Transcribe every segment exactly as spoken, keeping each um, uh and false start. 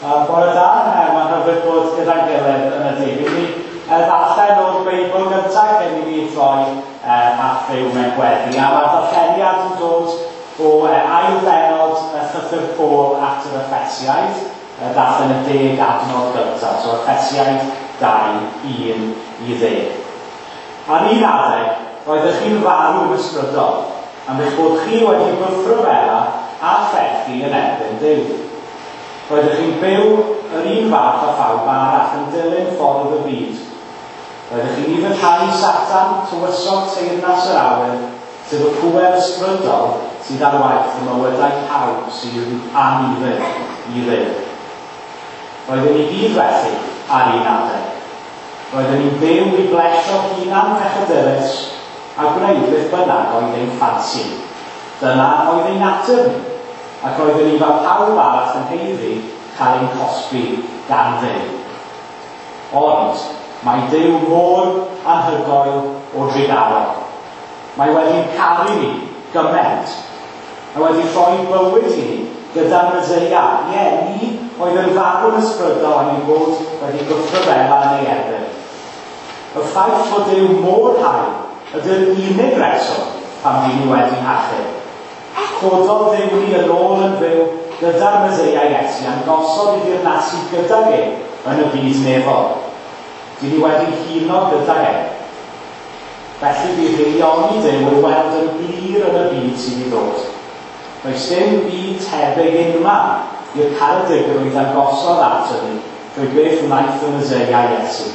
Uh, bore da, uh, mae'n hyfryd bod gyda'n gilydd yn y dydd. I ni uh, ddarllen o'r Beibl gyntaf cyn i ni droi uh, at Dduw mewn gweddi. A mae'r darlleniad yn dod o uh, ail bennod uh, llythyr Paul at yr Effesiaid, uh, darllen y deg adnod gyntaf, so Effesiaid dau, un i ddeg. Ar un adeg, roeddech chi'n farw yn ysbrydol, am eich bod chi wedi gwrthryfela a phechu yn erbyn Duw. Roeddech chi'n byw yr un fath â phawb arall yn dilyn ffordd y byd. Roeddech chi'n ufuddhau Satan, tywysog teyrnas yr awyr, sef y pŵer ysbrydol sydd ar waith y mywydau pawb sydd anufudd i Dduw. Roeddwn ni gyd felly ar un adeg. Roeddwn ni'n byw i blesio hunan pechadurus a gwneud beth bynnag oedd ein ffansi. Dyna oedd ein natur ni, ac roeddwn ni fel pawb arall yn haeddu cael ein cosbi gan Dduw. Ond mae Duw mor anhygoel o drugarog. Mae wedi'n caru ni gymaint. Mae wedi rhoi bywyd i ni gyda'r Meseia. Ie, ni oedd yn farw'n ysbrydol am ei bod wedi gwrthryfela yn ei erbyn. Y ffaith fod Duw mor hael ydy'r unig reswm pam ni wedi hachub. Cododd Dduw ni yn ôl yn fyw gyda'r Meseia Iesu a'n gosod i ddeyrnasu gydag e yn y byd nefol. Dyn ni wedi huno gydag e. Felly bydd haelioni Duw ei weld yn glir yn y byd sydd i ddod. Does dim byd tebyg unman i'r caredigrwydd a gosodd ato ni drwy beth wnaeth y Meseia Iesu.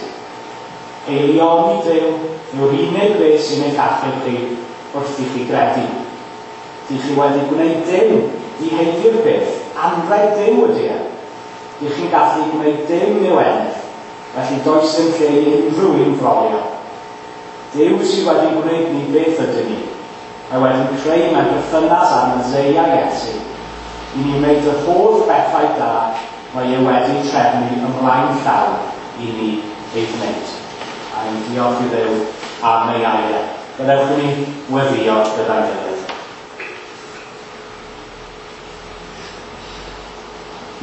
Haelioni Duw yw'r unig beth sy'n eich achub chi wrth i chi gredu. Dych chi wedi gwneud dim i haeddu'r peth, anrheg Duw ydy e. Dych chi'n gallu gwneud dim i'w ennill, felly does dim lle i unrhyw un frolio. Duw sydd wedi gwneud ni beth ydyn ni. Mae wedi creu mewn perthynas â'r Meseia Iesu i ni wneud yr holl bethau da mae e wedi trefnu ymlaen llaw i ni ei wneud. A ni'n diolch i Dduw am ei air. Gadewch i ni weddïo gyda'n gilydd.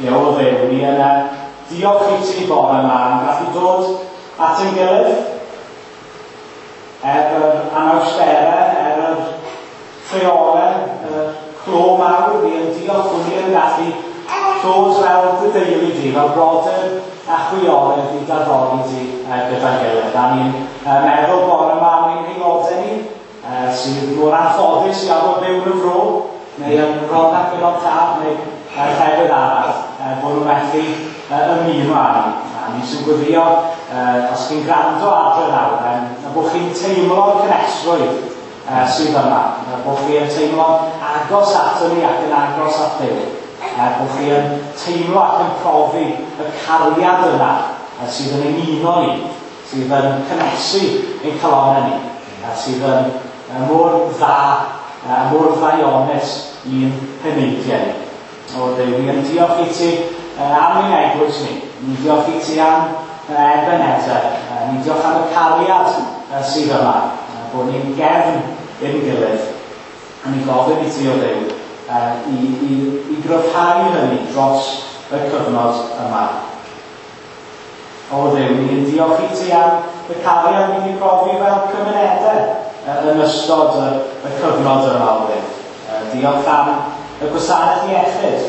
Ie, o Dduw, ni yna diolch i ti bore yma am gallu dod at ein gilydd er yr anawsterau, er yr rheolau, y clo mawr, ni yn diolch bod ni yn gallu dod fel dy deulu di, fel brodyr a chwiorydd i d'addoli di gyda'n gilydd. A ni'n meddwl bore yma am ein haelodau ni, sydd mor anffodus i arfer byw yn y fro, neu yn Rhondda Cynon Taf, neu llefydd arall, bod nhw'n methu ymuno â ni. A ni sy'n gweddio, os chi'n gwrando adre nawr, a bod chi'n teimlo'r cynhesrwydd sydd yma, bod chi'n teimlo agos ato ni ac yn agos at Dduw, bod chi yn teimlo ac yn profi y cariad yna sydd yn ein uno ni, sydd yn cynhesu ein calonnau ni, sydd yn mor dda, mor ddaionus i'n heneidiau ni. O Dduw, ni yn diolch i ti am ein eglwys ni. Ni'n diolch i ti am Ebenezer. Ni'n diolch am y cariad sydd yma, bod ni'n gefn i'n gilydd. A ni'n gofyn i ti, o Dduw, i, i, i gryfhau hynny dros y cyfnod yma. O Dduw, ni'n diolch i ti am y cariad ni wedi profi fel cymunedau yn ystod y, y cyfnod yma, o Dduw. Diolch am y gwasanaeth iechyd,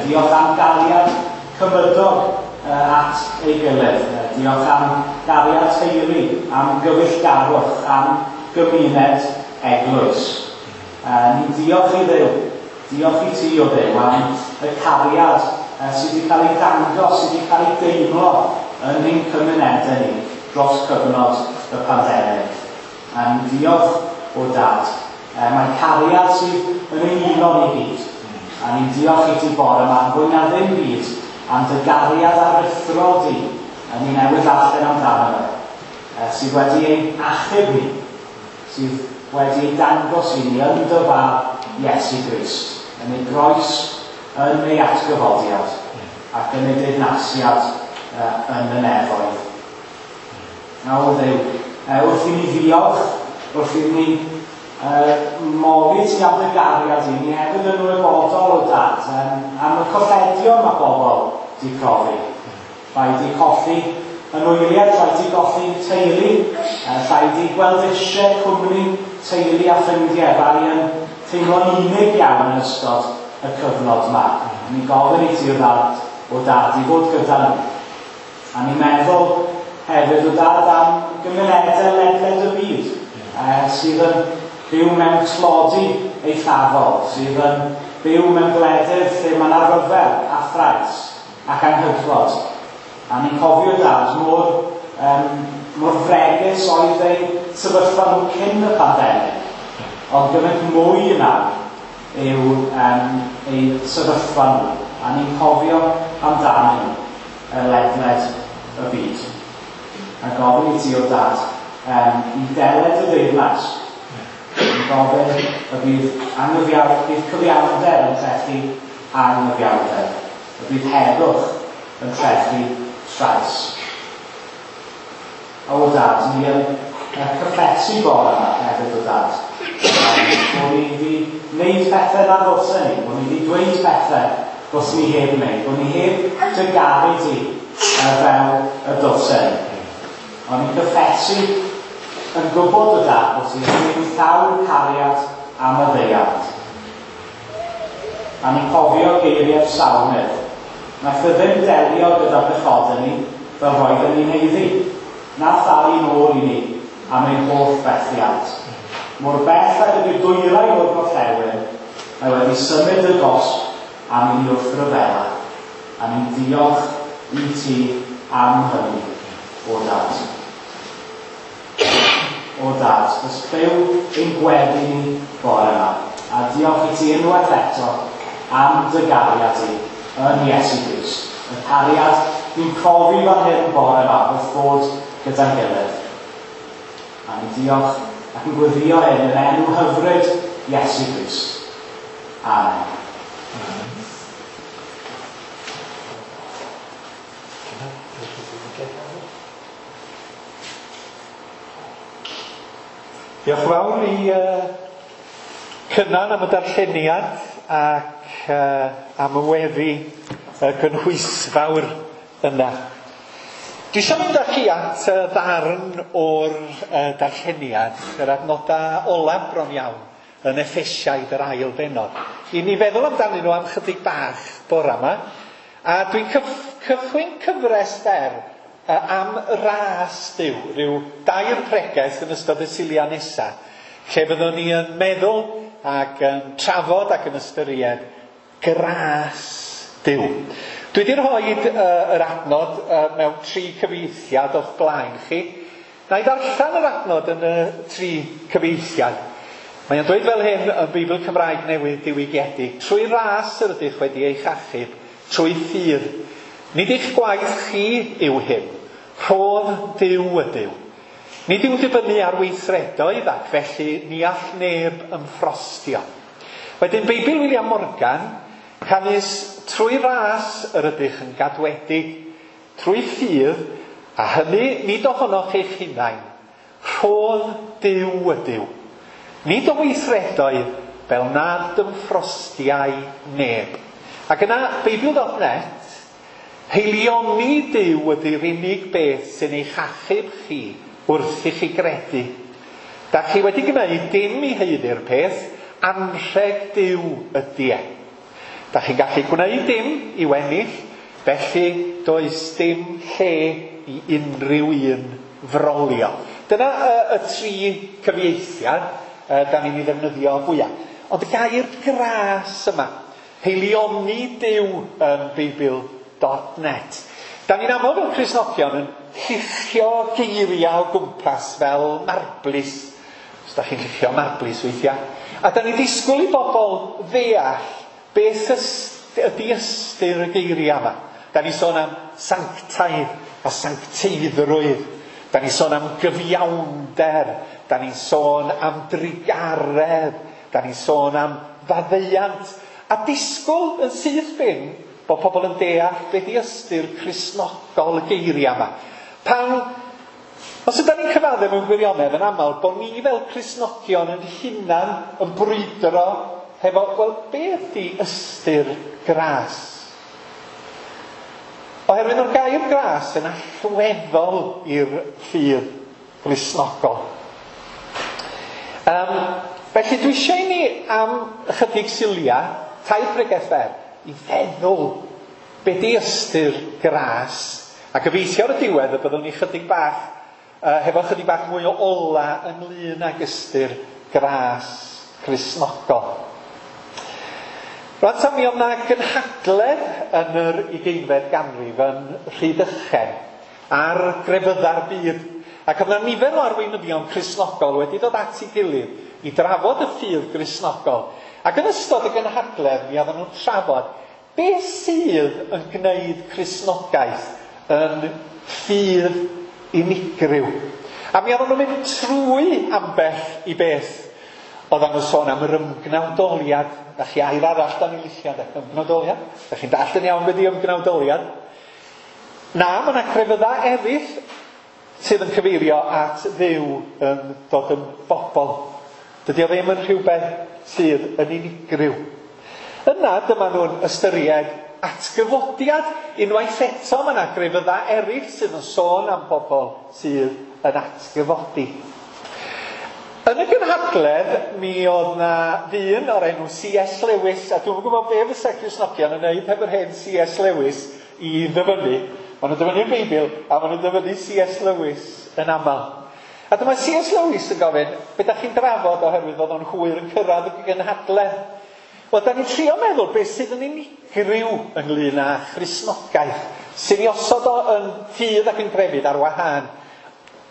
diolch am gariad cymydog at ei gilydd, diolch am gariad teulu, am gyfeillgarwch, am gymuned eglwys. Ni'n diolch i Dduw, diolch i ti, o Dduw, am y cariad sydd wedi cael ei dangos, sydd wedi cael ei deimlo yn ein cymunedau ni dros cyfnod y pandemig. A ni'n diolch o Dad. Mae cariad sydd yn ein uno ni gyd. A ni'n diolch i ti bore yma, fwy na ddim byd, am dy gariad aruthrol di, a ni newydd ddarllen amdano fe, sydd wedi ein achub ni, sydd wedi ei dangos i ni yn dy fab Iesu Grist, yn ei groes, yn ei atgyfodiad, ac yn ei deyrnasiad yn y nefoedd. Nawr Dduw, wrth i ni ddiolch, wrth i ni Uh, moli ti am dy gariad i ni hefyd yn ymwybodol o Dad, um, am y colledion mae bobl di profi. Rhaid i colli anwyliaid, rhaid i golli teulu, rhaid i gweld eisiau cwmni teulu a ffrindiau, rhai yn teimlo'n unig iawn yn ystod y cyfnod yma. Ni'n gofyn i ti o dad, o dad i fod gyda nhw. A ni'n meddwl hefyd o dad am gymunedau ledled y byd eh, sydd yn byw mewn tlodi eithafol, sydd yn byw mewn gwledydd lle mae yna ryfel a thrais ac anghydfod. A ni'n cofio dad mor, um, mor fregus oedd eu sefyllfa nhw cyn y pandemig, ond gymaint mwy yna yw um, eu sefyllfa nhw. A ni'n cofio amdanyn nhw ledled y byd. A gofyn i ti o dad um, i deled y deyrnas. Ni'n gofyn y bydd anghyfiawn, bydd cyfiawnder yn trechu anghyfiawnder. Y bydd heddwch yn trechu trais. O dad, ni yn cyffesu bore yma hefyd o dad. Bod ni wedi wneud pethau na ddylsen ni, bod ni wedi dweud pethau ddylsen ni heb wneud, bod ni heb dy garu di fel y dylsen ni. Ond ni'n cyffesu yn gwybod o dad bod ti'n gwneud llawn cariad am y ddeiad. A ni'n cofio geiriau'r salmydd. Naeth e ddim delio gyda pechodau ni fel roedden ni'n haeddu. Na thalu nôl i ni am ein holl fethiant. Mor bell ag ydy'r dwyrain o'r gorllewin, mae wedi symud y gosb am i ni wrth ryfela. A ni'n diolch i ti am hynny, o dad. O dad, ys clyw ein gweddi ni bore yma. A diolch i ti unwaith eto am dy gariad i yn Iesu Grist. Y cariad ni'n profi fan hyn bore yma wrth fod gyda'n gilydd. A ni'n diolch ac yn gweddio hyn yn enw hyfryd Iesu Grist. Amen. Amen. Diolch yn fawr i uh, Cynan am y darlleniad ac uh, am y weddi uh, gynhwysfawr yna. Dwi eisiau mynd â chi at uh, ddarn o'r uh, darlleniad, yr adnodau olaf bron iawn, yn Effesiaid yr ail bennod. I ni feddwl amdanyn nhw am chydig bach bore yma, a dwi'n cyf- cychwyn cyfres fer am ras Duw, rhyw dair pregeth yn ystod y Suliau nesaf, lle fyddwn ni yn meddwl ac yn trafod ac yn ystyried gras Duw. Dwi wedi rhoi uh, yr adnod uh, mewn tri cyfieithiad o'ch blaen chi. Na i ddarllen yr adnod yn y tri cyfieithiad. Mae'n dweud fel hyn yn Beibl Cymraeg Newydd Diwygiedig: trwy ras yr ydych wedi eich achub, trwy ffydd. Nid eich gwaith chi yw hyn, rhodd Duw ydyw. Nid yw'n dibynnu ar weithredoedd ac felly ni all neb ymffrostio. Wedyn Beibl William Morgan, canys trwy ras yr ydych yn gadwedig, trwy ffydd, a hynny nid ohonoch eich hunain, rhodd Duw ydyw. Nid o weithredoedd fel nad ymffrostiai neb. Ac yna Beibl dot net, heilioni Duw ydy'r unig beth sy'n eich achub chi wrth i chi gredu. Da chi wedi gwneud dim i haeddu'r peth, anrheg Duw ydy e. Da chi'n gallu gwneud dim i'w ennill, felly does dim lle i unrhyw un frolio. Dyna y, y tri cyfieithiad uh, da ni'n ei ddefnyddio fwyaf. Ond y gair gras yma, heilioni Duw yn Beibl dot net. Da ni'n aml fel Cristnogion yn lluchio geiriau o gwmpas fel marblis. Os da chi'n lluchio marblis weithiau. A da ni'n disgwyl i bobl ddeall beth ydy ystyr y geiriau yma. Da ni'n sôn am sanctaidd a sancteiddrwydd. Da ni'n sôn am gyfiawnder. Da ni'n sôn am drugaredd. Da ni'n sôn am faddeuant. A disgwyl yn syth bin bod pobl yn deall beth i ystyr Cristnogol y geiriau yma. Pan, os ydyn ni'n cyfaddef mewn gwirionedd yn aml, bod ni fel Cristnogion yn hunan yn brwydro hefo, wel, beth ydy ystyr gras? Oherwydd o'r gair gras yn allweddol i'r ffydd Gristnogol. Um, felly dwi eisiau i ni am ychydig siliau, tair pregeth fer, i feddwl be di ystyr gras. A gobeithio ar y diwedd y byddwn ni chydig bach, uh, hefo chydig bach mwy o ola ynglyn ag ystyr gras Cristnogol. Rwan ta, mi oedd 'na gynhadledd yn yr ugeinfed ganrif yn Rhydychen ar grefyddau'r byd. Ac oedd 'na nifer o arweinyddion Cristnogol wedi dod at ei gilydd i drafod y ffydd Gristnogol. Ac yn ystod y gynhadledd mi oedden nhw'n trafod beth sydd yn gwneud Cristnogaeth yn ffydd unigryw. A mi oedden nhw'n mynd trwy ambell i beth. Oedden nhw'n sôn am yr ymgnawdoliad. Da chi air arall da ni'n licio, de? Ymgnawdoliad. Da chi'n dallt yn iawn beth ydi ymgnawdoliad? Na, mae yna crefyddau eraill sydd yn cyfeirio at Dduw yn dod yn bobl. Dydy o ddim yn rhywbeth sydd yn unigryw. Yna dyma nhw'n ystyried atgyfodiad. Unwaith eto mae yna grefyddau eraill sydd yn sôn am bobl sydd yn atgyfodi. Yn y gynhadledd, mi oedd na ddyn o'r enw C S Lewis, a dwi'm yn gwybod be fysa Cristnogion yn neud heb yr hen C S Lewis i ddyfynnu. Maen nhw'n dyfynnu'r Beibl, a maen nhw'n dyfynnu C S Lewis yn aml. A dyma C S Lewis yn gofyn, be da chi'n drafod oherwydd oedd o'n hwyr yn cyrraedd y gynhadledd? Wel, da ni'n trio meddwl beth sydd yn unigryw ynglyn â Christnogaeth, sy'n ei osod o yn ffydd ac yn grefydd ar wahân.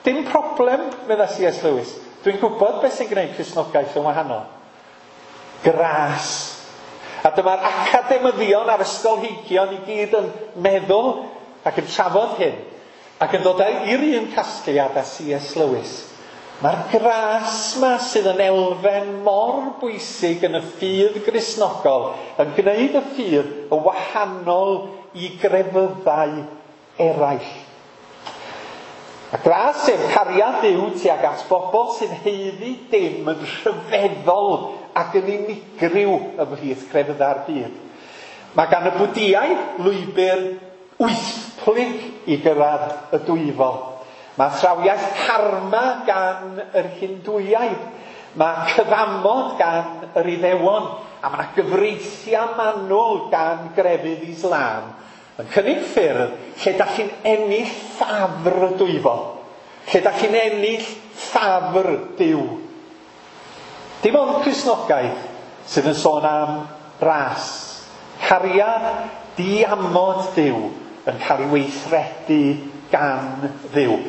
Dim problem, medda C S Lewis. Dwi'n gwybod beth sy'n gwneud Cristnogaeth yn wahanol. Gras. A dyma'r academyddion a'r ysgolheigion i gyd yn meddwl ac yn trafod hyn, ac yn dod i'r un casgliad â C S Lewis. Mae'r gras ma sydd yn elfen mor bwysig yn y ffydd Gristnogol yn gwneud y ffydd yn wahanol i grefyddau eraill. A gras sef cariad Duw tuag at bobl sy'n haeddu dim yn rhyfeddol ac yn unigryw ymhlith crefyddau'r byd. Mae gan y Bwdiaid lwybr wythplyg i gyrraedd y dwyfol. Mae athrawiaeth karma gan yr Hindwiaid. Mae cyfamod gan yr Iddewon. A mae yna gyfreithiau manwl gan grefydd Islam yn cynnig ffyrdd lle da chi'n ennill ffafr y dwyfol. Lle da chi'n ennill ffafr Duw. Dim ond Cristnogaeth sydd yn sôn am ras. Cariad diamod Duw yn cael ei weithredu gan Dduw.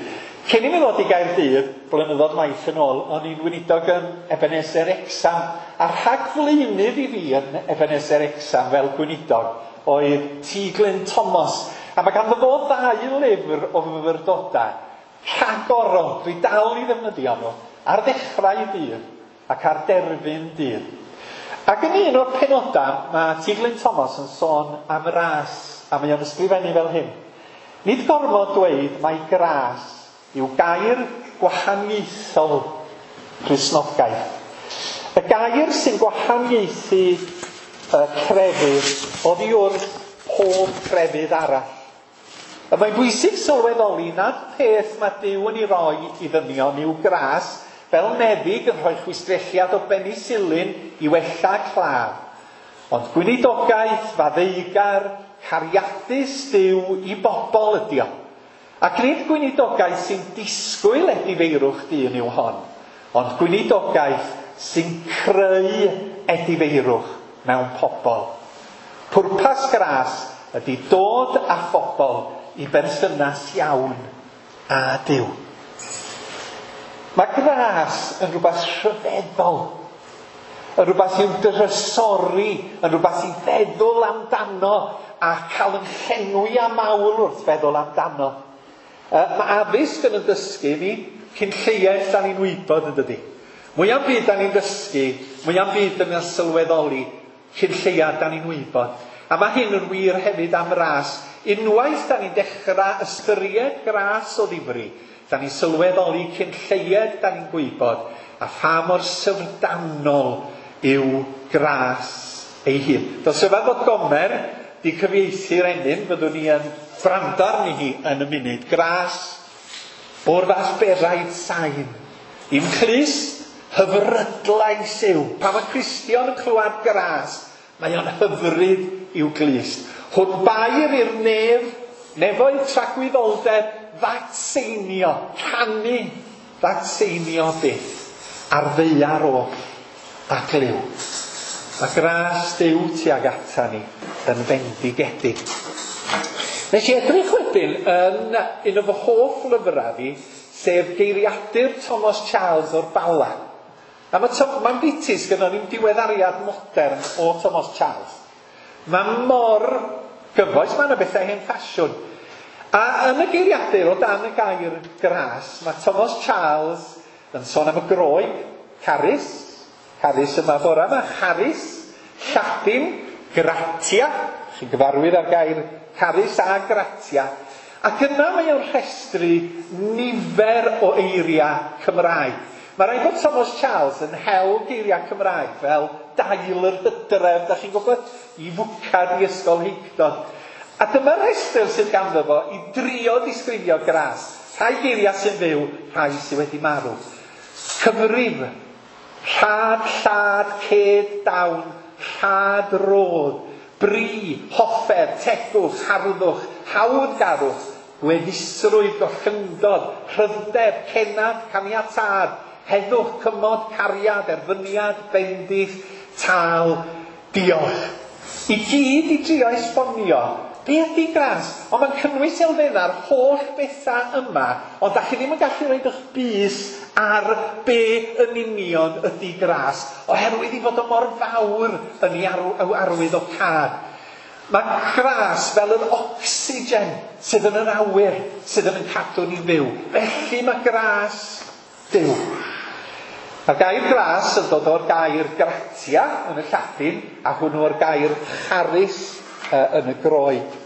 Cyn i mi ddod i Gaerdydd, blynyddoedd maith yn ôl, o'n i'n weinidog yn Ebenezer Wrecsam, a rhagflaenydd i fi yn Ebenezer Wrecsam fel gweinidog oedd T. Glyn Thomas. A mae ganddo fo ddau lyfr o fyfyrdodau rhagorol, dwi dal i ddefnyddio nhw, ar ddechrau dydd ac ar derfyn dydd. Ac yn un o'r penodau, mae T. Glyn Thomas yn sôn am ras, a mae o'n ysgrifennu fel hyn. Nid gormod dweud mai gras yw gair gwahaniaethol Cristnogaeth. Y gair sy'n gwahaniaethu y crefydd oddi wrth pob crefydd arall. A mae'n bwysig sylweddoli nad peth mae Duw yn ei roi i ddynion yw gras, fel meddyg yn rhoi chwistrelliad o benisilin i wella claf. Ond gweinidogaeth faddeugar, cariadus Duw i bobl ydi o. Ac nid gweinidogaeth sy'n disgwyl edifeirwch dyn yw hon, ond gweinidogaeth sy'n creu edifeirwch mewn pobl. Pwrpas gras ydy dod â phobl i berthynas iawn â Duw. Mae gras yn rhywbeth rhyfeddol, yn rhywbeth i'w drysori, yn rhywbeth i feddwl amdano a cael yn llenwi â mawl wrth feddwl amdano. Mae addysg yn yn dysgu ni cyn lleied da ni'n wybod, yn dydi. Mwya'm byd da ni'n dysgu, mwya'm byd da ni'n sylweddoli cyn lleiad da ni'n wybod. A mae hyn yn wir hefyd am ras. Unwaith da ni'n dechrau ystyried gras o ddifri, da ni'n sylweddoli cyn lleied da ni'n gwybod, a pha mor syfrdanol yw gras ei hun. Does rhyfedd fod Gomer di cyfieithu'r enyn, byddwn ni yn gwrando arni hi yn y munud. Gras o'r fath beraid sain. I'm clust hyfrydlais yw. Pan mae Cristion yn clywed gras, mae o'n hyfryd i'w glust. Hwn bair i'r nef, nefoedd tragwyddoldeb, ddatseinio, canu, ddatseinio byth, ar ddaear oll a glyw. Mae gras Duw tuag ata ni yn fendigedig. Nes i edrych wedyn yn un o fy hoff lyfrau fi, sef Geiriadur Thomas Charles o'r Bala. A mae Tom, mae'n bitis gyda ni'n diweddariad modern o Thomas Charles. Mae mor gyfoes, mae yna bethau hen ffasiwn. A yn y geiriadur o dan y gair gras, mae Thomas Charles yn sôn am y Groeg, charis, charis yma bora yma, charis, Lladin, gratia, chi'n gyfarwydd â'r gair charis a gratia, ac yna mae o'n rhestru nifer o eiriau Cymraeg. Mae rhaid bod Thomas Charles yn hel geiriau Cymraeg fel dail yr hydref, da chi'n gwybod, i fwcad i ysgol heicdod. A dyma'r rhestr sydd ganddo fo i drio disgrifio gras. Rhai geiriau sy'n fyw, rhai sydd wedi marw. Cyfrif, rhad, llad, ced, dawn, rhad, rodd, bri, hoffer, tegwch, harddwch, hawddgarwch, gweddusrwydd, gollyngdod, rhyddeb, cenad, caniatâd, heddwch, cymod, cariad, erfyniad, bendith, tâl, diolch. I gyd i drio esbonio be ydy gras, ond mae'n cynnwys elfennau'r holl bethau yma, ond da chi ddim yn gallu rhoid eich bys ar be yn union ydy gras, oherwydd i fod o mor fawr yn ei arwydd o cad. Mae gras fel yr ocsigen sydd yn yr awyr, sydd yn cadw ni fyw. Felly mae gras Duw. Mae'r gair gras yn dod o'r gair gratia yn y Lladin, a hwnnw o'r gair charis uh, yn y Groeg.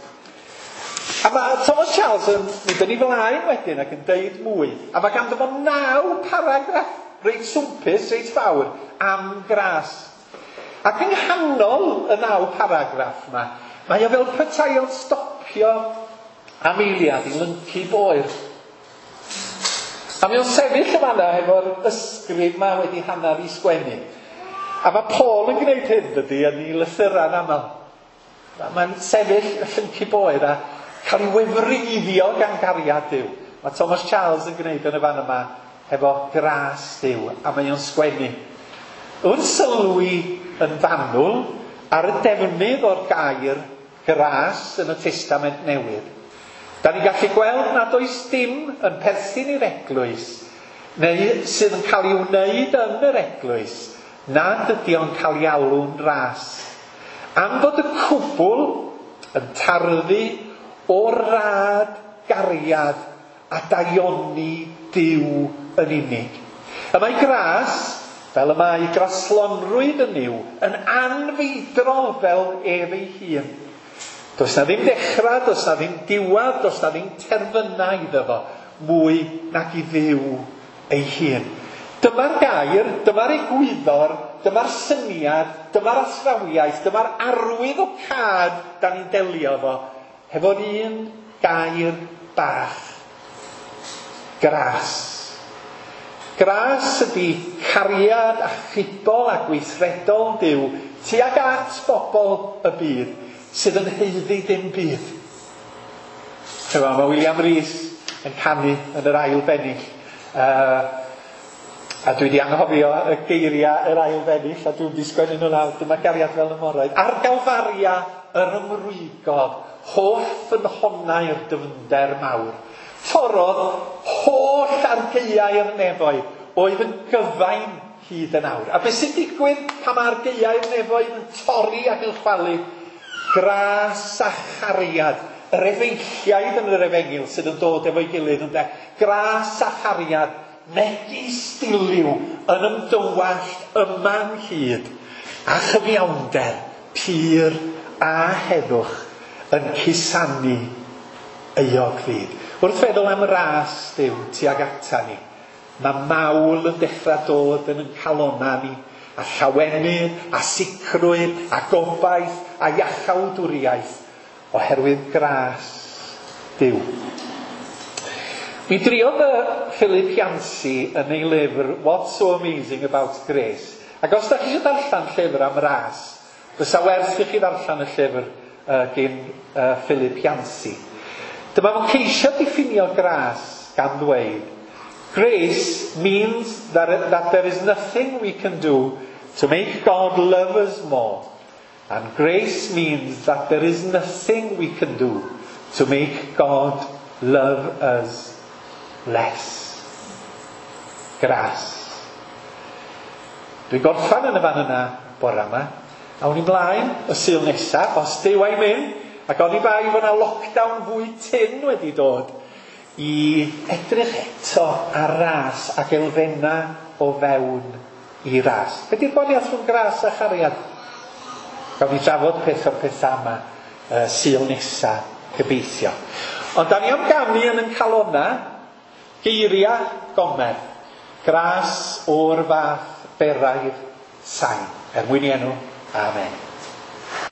A mae Thomas Charles yn mynd yn ei flaen wedyn ac yn deud mwy. A mae ganddo fo naw paragraff reit swmpus, reit fawr, am gras. Ac yng nghanol y naw paragraff yma, mae o fel petai o'n stopio am eiliad i lyncu boer. A mae o'n sefyll yn fan'na efo'r ysgrif ma wedi hanner i sgwennu. A mae Paul yn gwneud hyn, dydy, yn ei lythyrau'n aml. Mae'n sefyll y llyncu boer a cael ei wefreiddio gan gariad Duw. Mae Thomas Charles yn gwneud yn y fan yma hefo gras Duw, a mae o'n sgwennu. Wrth sylwi yn fanwl ar y defnydd o'r gair gras yn y Testament Newydd, da ni'n gallu gweld nad oes dim yn perthyn i'r eglwys, neu sydd yn cael ei wneud yn yr eglwys, nad ydy o'n cael ei alw'n ras. Am fod y cwbl yn tarddu o rad gariad a daioni Duw yn unig. Y mae gras, fel y mae graslonrwydd yn Nuw, yn anfeidrol fel ef ei hun. Does na ddim dechrau, does na ddim diwedd, does na ddim terfynau iddo fo, mwy nag i Dduw ei hun. Dyma'r gair, dyma'r egwyddor, dyma'r syniad, dyma'r athrawiaeth, dyma'r arwydd o cad da ni'n delio fo, hefo'r un gair bach. Gras. Gras ydy cariad achubol a gweithredol Duw tuag at bobl y byd sydd yn haeddu dim byd. Chyfo, mae William Rees yn canu yn yr ail bennill. Uh, a dwi wedi anghofio y geiriau yr ail bennill, a dwi'n disgwyl nhw lawr. Dyma gariad fel y moroedd. Ar Galfaria yr ymrwygodd, holl ffynhonnau'r dyfnder mawr. Torrodd holl argaeau'r nefoedd, oedd yn gyfain hyd yn awr. A beth sy'n digwydd pan mae argaeau'r nefoedd yn torri ac yn chwalu? Gras a chariad, yr efeilliaid yn yr efengyl sydd yn dod efo'i gilydd ynde. Gras a chariad, megis diliw yn ymdywallt yma'n hyd, a chyfiawnder, pur a heddwch yn cusanu euog fyd. Wrth feddwl am ras Duw tuag ata ni, mae mawl yn dechrau dod yn ein calonnau ni, a llawenydd, a sicrwydd, a gobaith, a iachawdwriaeth, oherwydd gras Duw. Mi driodd y Philip Yancey yn ei lyfr What's So Amazing About Grace. Ac os da chi eisiau darllen llyfr am ras, fysa werth i chi ddarllen y llyfr uh, gyn uh, Philip Yancey. Dyma fo'n ceisio diffinio gras gan ddweud, "Grace means that, that there is nothing we can do to make God love us more. And grace means that there is nothing we can do to make God love us less." Gras. Dwi'n gorffan yn y fan yna bore yma. Awn ni mlaen y Sul nesaf, os Duw a'i mynd, ac oni bai fod yna lockdown fwy tyn wedi dod, i edrych eto ar ras ac elfenna o fewn i ras. Be di'r gwahaniaeth rhwng gras a chariad? Gawn ni drafod peth o'r pethau yma uh, Sul nesa, gobeithio. Ond da ni am ganu yn yn calona geiriau Gomer. Gras o'r fath beraidd sain. Er mwyn i enw. Amen.